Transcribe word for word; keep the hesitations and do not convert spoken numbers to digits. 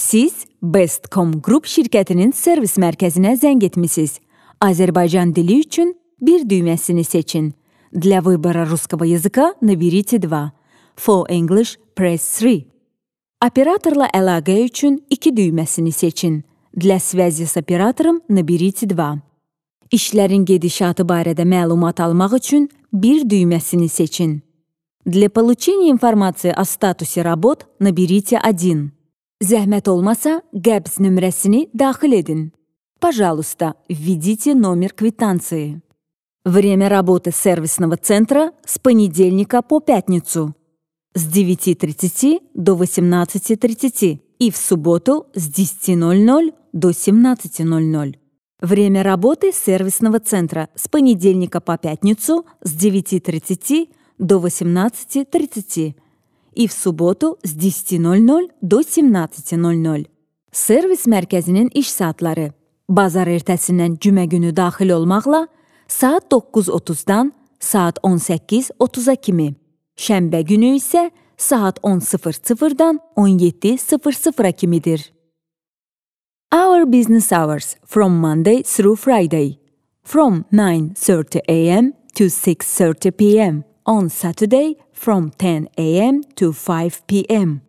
Siz Bestcom Group şirkətinin servis mərkəzinə zəng etmisiniz. Azərbaycan dili üçün bir düyməsini seçin. Для выбора русского языка наберите два. For English, press three. Operatorla əlaqə üçün iki düyməsini seçin. Для связи с оператором наберите два. İşlərin gedişatı barədə məlumat almaq üçün bir düyməsini seçin. Для получения информации о статусе работ наберите один. Zəhmət olmasa, qəbz nömrəsini daxil edin. Пожалуйста, введите номер квитанции. Время работы сервисного центра с понедельника по пятницу с девяти тридцати до восемнадцати тридцати и в субботу с десяти ноль-ноль до семнадцати ноль-ноль. Время работы сервисного центра с понедельника по пятницу с девяти тридцати до восемнадцати тридцати и в субботу с десяти ноль-ноль до семнадцати ноль-ноль. Servis mərkəzinin iş saatları. Bazar ertəsindən cümə günü daxil olmaqla saat doqquz otuzdan saat on səkkiz otuza kimi. Şənbə günü isə saat on sıfır sıfırdan on yeddi sıfır sıfıra kimidir. Our business hours from Monday through Friday. From nine thirty a m to six thirty p m On Saturday from ten a m to five p m